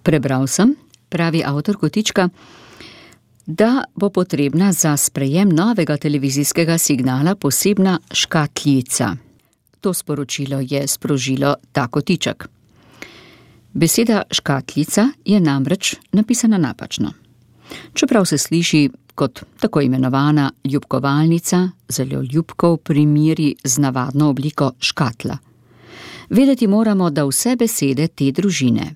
Prebral sem, pravi avtor kotička, da bo potrebna za sprejem novega televizijskega signala posebna škatljica. To sporočilo je sprožilo ta kotiček. Beseda škatljica je namreč napisana napačno. Čeprav se sliši kot tako imenovana ljubkovalnica, zelo ljubko v primeri z navadno obliko škatla. Vedeti moramo, da vse besede te družine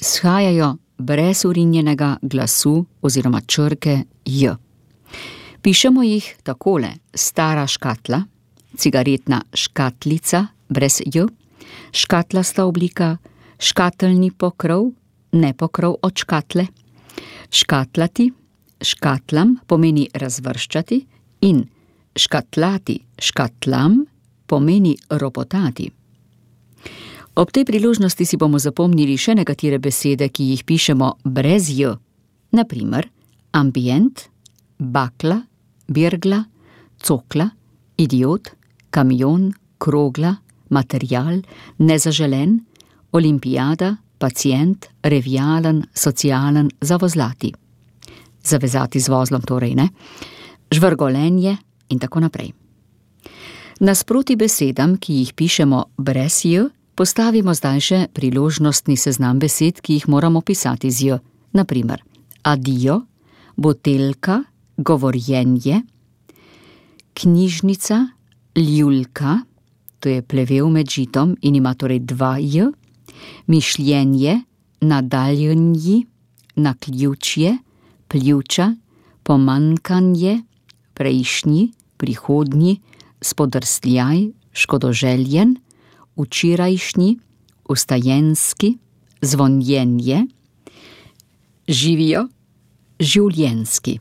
shajajo brez urinjenega glasu oziroma črke j. Pišemo jih takole: stara škatla, cigaretna škatlica brez j, škatlasta oblika, škateljni pokrov, ne pokrov od škatle, škatlati, škatlam pomeni razvrščati in škatlati, škatlam pomeni ropotati. Ob tej priložnosti si bomo zapomnili še nekatere besede, ki jih pišemo brez j. Na primer, ambient, bakla, birgla, cokla, idiot, kamion, krogla, material, nezaželen, olimpijada, pacient, revijalen, socialen, zavozlati. Zavezati z vozlom torej, ne? Žvrgolenje in tako naprej. Nasproti besedam, ki jih pišemo brez j, postavimo zdaj še priložnostni seznam besed, ki jih moramo pisati z j. Na primer, adio, botelka, govorjenje, knjižnica, ljulka, to je plevel med žitom in ima torej 2 j, mišljenje, nadaljenji, naključje, pljuča, pomanjkanje, prejšnji, prihodnji, spodrsljaj, škodoželjen, včerajšnji, vstajenski, zvonjenje, živijo, življenjski.